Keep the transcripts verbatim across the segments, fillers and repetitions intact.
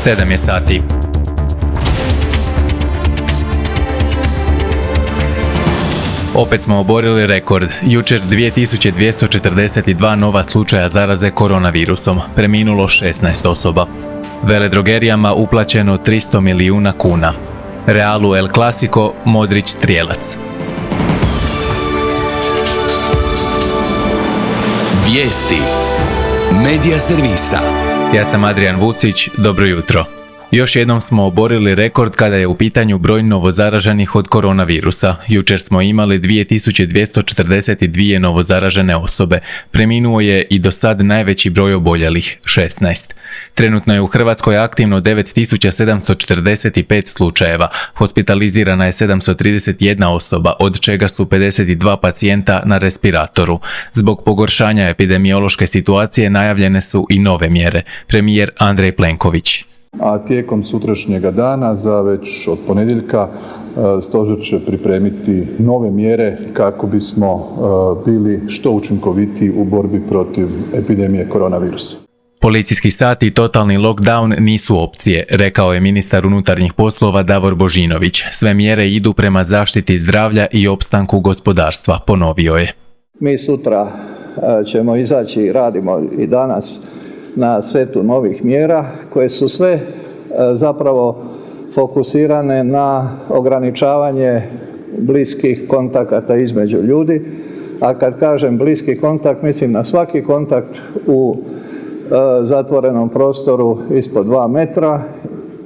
sedam je sati. Opet smo oborili rekord. Jučer dvije tisuće dvjesto četrdeset dva nova slučaja zaraze koronavirusom. Preminulo šesnaest osoba. Veledrogerijama uplaćeno tristo milijuna kuna. Realu El Clasico, Modrić strijelac. Vijesti Medija servisa. Ja sam Adrian Vucić, dobro jutro. Još jednom smo oborili rekord kada je u pitanju broj novozaraženih od koronavirusa. Jučer smo imali dvije tisuće dvjesto četrdeset dva novozaražene osobe. Preminuo je i do sad najveći broj oboljelih, šesnaest. Trenutno je u Hrvatskoj aktivno devet tisuća sedamsto četrdeset pet slučajeva. Hospitalizirana je sedamsto trideset jedna osoba, od čega su pedeset dva pacijenta na respiratoru. Zbog pogoršanja epidemiološke situacije najavljene su i nove mjere. Premijer Andrej Plenković. A tijekom sutrašnjega dana, za već od ponedjeljka, stožer će pripremiti nove mjere kako bismo bili što učinkovitiji u borbi protiv epidemije koronavirusa. Policijski sat i totalni lockdown nisu opcije, rekao je ministar unutarnjih poslova Davor Božinović. Sve mjere idu prema zaštiti zdravlja i opstanku gospodarstva, ponovio je. Mi sutra ćemo izaći, radimo i danas na setu novih mjera koje su sve zapravo fokusirane na ograničavanje bliskih kontakata između ljudi, a kad kažem bliski kontakt mislim na svaki kontakt u zatvorenom prostoru ispod dva metra,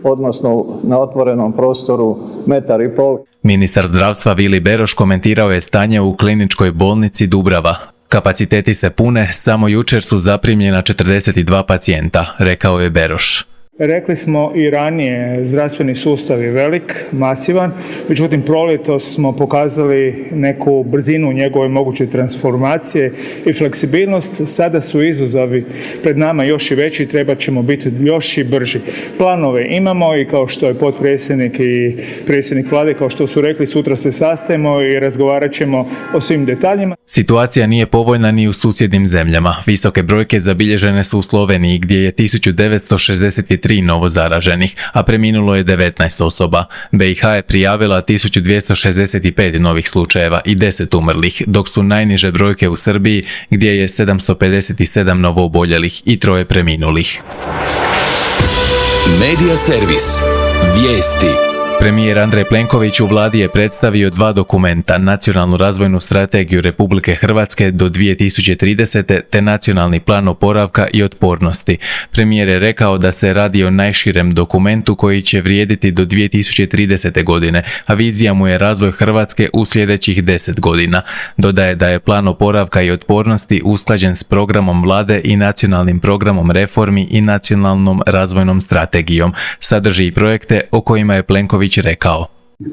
odnosno na otvorenom prostoru metar i pol. Ministar zdravstva Vili Beroš komentirao je stanje u kliničkoj bolnici Dubrava. Kapaciteti se pune, samo jučer su zaprimljena četrdeset dva pacijenta, rekao je Beroš. Rekli smo i ranije, zdravstveni sustav je velik, masivan, međutim proljetos smo pokazali neku brzinu njegove moguće transformacije i fleksibilnost. Sada su izazovi pred nama još i veći, trebat ćemo biti još i brži. Planove imamo i kao što je potpredsjednik i predsjednik vlade, kao što su rekli, sutra se sastajemo i razgovarat ćemo o svim detaljima. Situacija nije povoljna ni u susjednim zemljama. Visoke brojke zabilježene su u Sloveniji gdje je tisuću devetsto šezdeset tri novozaraženih, a preminulo je devetnaest osoba. be i ha je prijavila tisuću dvjesto šezdeset pet novih slučajeva i deset umrlih, dok su najniže brojke u Srbiji gdje je sedamsto pedeset sedam novooboljelih i troje preminulih. Medija servis. Vijesti. Premijer Andrej Plenković u vladi je predstavio dva dokumenta, Nacionalnu razvojnu strategiju Republike Hrvatske do dvije tisuće tridesete te Nacionalni plan oporavka i otpornosti. Premijer je rekao da se radi o najširem dokumentu koji će vrijediti do dvije tisuće tridesete godine, a vizija mu je razvoj Hrvatske u sljedećih deset godina. Dodaje da je plan oporavka i otpornosti usklađen s programom vlade i Nacionalnim programom reformi i Nacionalnom razvojnom strategijom. Sadrži i projekte o kojima je Plenković rekao.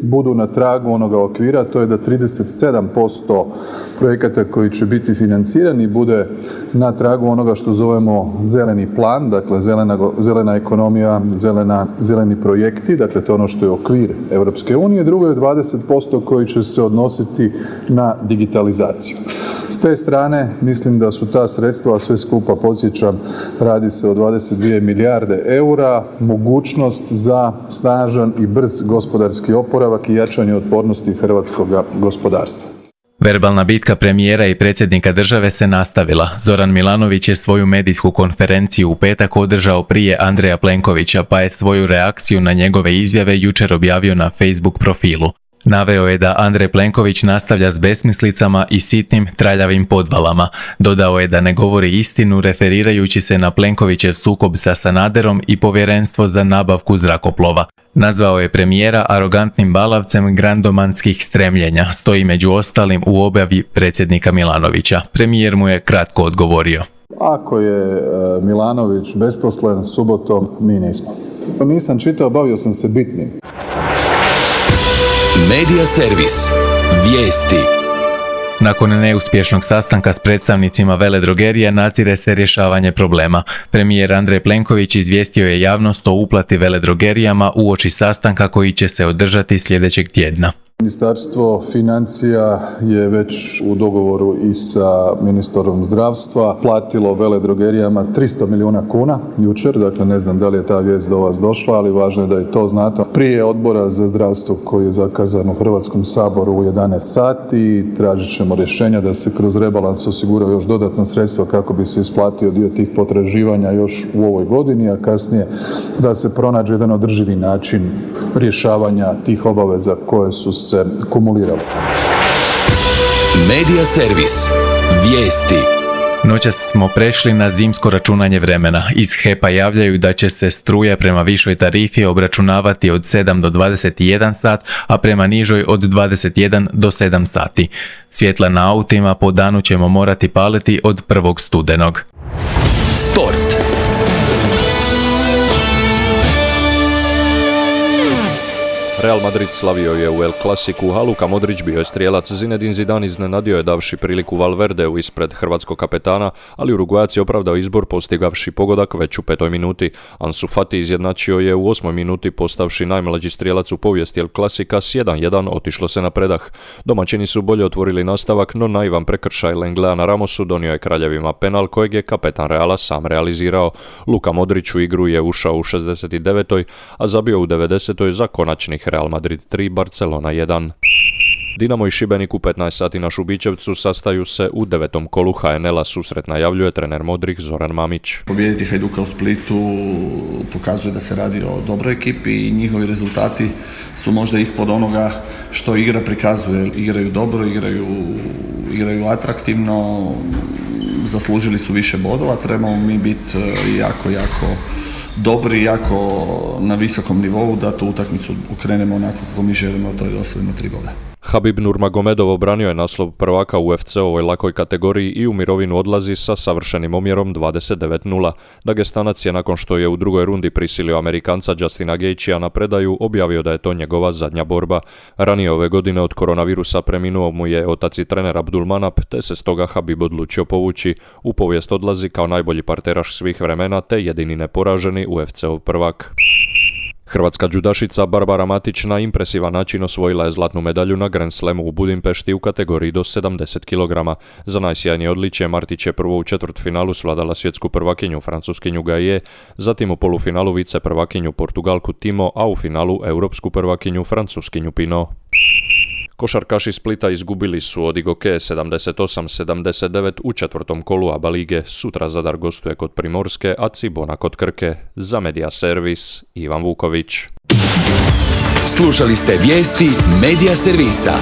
Budu na tragu onoga okvira, to je da trideset sedam posto projekata koji će biti financirani bude na tragu onoga što zovemo zeleni plan, dakle zelena, zelena ekonomija, zelena, zeleni projekti, dakle to je ono što je okvir Europske unije. Drugo je dvadeset posto koji će se odnositi na digitalizaciju. S te strane mislim da su ta sredstva, sve skupa podsjećam, radi se o dvadeset dvije milijarde eura, mogućnost za snažan i brz gospodarski oporavak i jačanje otpornosti hrvatskog gospodarstva. Verbalna bitka premijera i predsjednika države se nastavila. Zoran Milanović je svoju medijsku konferenciju u petak održao prije Andreja Plenkovića, pa je svoju reakciju na njegove izjave jučer objavio na Facebook profilu. Naveo je da Andrej Plenković nastavlja s besmislicama i sitnim traljavim podvalama. Dodao je da ne govori istinu referirajući se na Plenkovićev sukob sa Sanaderom i povjerenstvo za nabavku zrakoplova. Nazvao je premijera arogantnim balavcem grandomanskih stremljenja, stoji među ostalim u objavi predsjednika Milanovića. Premijer mu je kratko odgovorio. Ako je Milanović besposlen subotom, mi nismo. Nisam čitao, bavio sam se bitnim. Medija servis. Vijesti. Nakon neuspješnog sastanka s predstavnicima veledrogerija nadzire se rješavanje problema. Premijer Andrej Plenković izvijestio je javnost o uplati veledrogerijama uoči sastanka koji će se održati sljedećeg tjedna. Ministarstvo financija je već u dogovoru i sa ministrom zdravstva platilo veledrogerijama tristo milijuna kuna jučer, dakle ne znam da li je ta vijest do vas došla, ali važno je da i to znate. Prije Odbora za zdravstvo koji je zakazan u Hrvatskom saboru u jedanaest sati tražit ćemo rješenja da se kroz rebalans osigura još dodatna sredstva kako bi se isplatio dio tih potraživanja još u ovoj godini, a kasnije da se pronađe jedan održivi način rješavanja tih obaveza koje su se kumulirale. Medija servis. Vijesti. Noćas smo prešli na zimsko računanje vremena. Iz H E P-a javljaju da će se struja prema višoj tarifi obračunavati od sedam do dvadeset jedan sat, a prema nižoj od dvadeset jedan do sedam sati. Svjetla na autima po danu ćemo morati paliti od prvog studenog. Sport. Real Madrid slavio je u El Clasicu, a Luka Modrić bio je strijelac. Zinedine Zidane iznenadio je davši priliku Valverdeu ispred hrvatskog kapetana, ali Uruguajac je opravdao izbor postigavši pogodak već u petoj minuti. Ansu Fati izjednačio je u osmoj minuti postavši najmlađi strijelac u povijesti El Clasica s jedan jedan, otišlo se na predah. Domaćini su bolje otvorili nastavak, no naivan prekršaj Lenglea na Ramosu donio je kraljevima penal kojeg je kapetan Reala sam realizirao. Luka Modrić u igru je ušao u šezdeset devetoj, a zabio u devedesetoj za konačnih Real Madrid tri, Barcelona jedan. Dinamo i Šibenik u petnaest sati na Šubićevcu sastaju se u devetom kolu H N L-a. Susret najavljuje trener Modrih Zoran Mamić. Pobijediti Hajduka u Splitu pokazuje da se radi o dobroj ekipi i njihovi rezultati su možda ispod onoga što igra prikazuje. Igraju dobro, igraju, igraju atraktivno, zaslužili su više bodova, trebamo mi biti jako, jako dobri, jako na visokom nivou da tu utakmicu okrenemo onako kako mi želimo, to je da osvojimo tri boda. Habib Nurmagomedov obranio je naslov prvaka u U F C-ovoj lakoj kategoriji i u mirovinu odlazi sa savršenim omjerom dvadeset devet nula. Dagestanac je nakon što je u drugoj rundi prisilio Amerikanca Justina Gaethjea na predaju objavio da je to njegova zadnja borba. Ranije ove godine od koronavirusa preminuo mu je otac i trener Abdulmanap, te se stoga Habib odlučio povući. U povijest odlazi kao najbolji parteraš svih vremena te jedini neporaženi U F C-ov prvak. Hrvatska džudašica Barbara Matić na impresivan način osvojila je zlatnu medalju na Grand Slamu u Budimpešti u kategoriji do sedamdeset kilograma. Za najsjajnije odličje Martić je prvo u četvrtfinalu svladala svjetsku prvakinju francuskinju Gaije, zatim u polufinalu vice prvakinju Portugalku Timo, a u finalu europsku prvakinju francuskinju Pinot. Košarkaši Splita izgubili su od Igoke sedamdeset osam sedamdeset devet u četvrtom kolu A B A lige. Sutra Zadar gostuje kod Primorske, a Cibona kod Krke. Za Medija servis, Ivan Vuković. Slušali ste vijesti Medija servisa.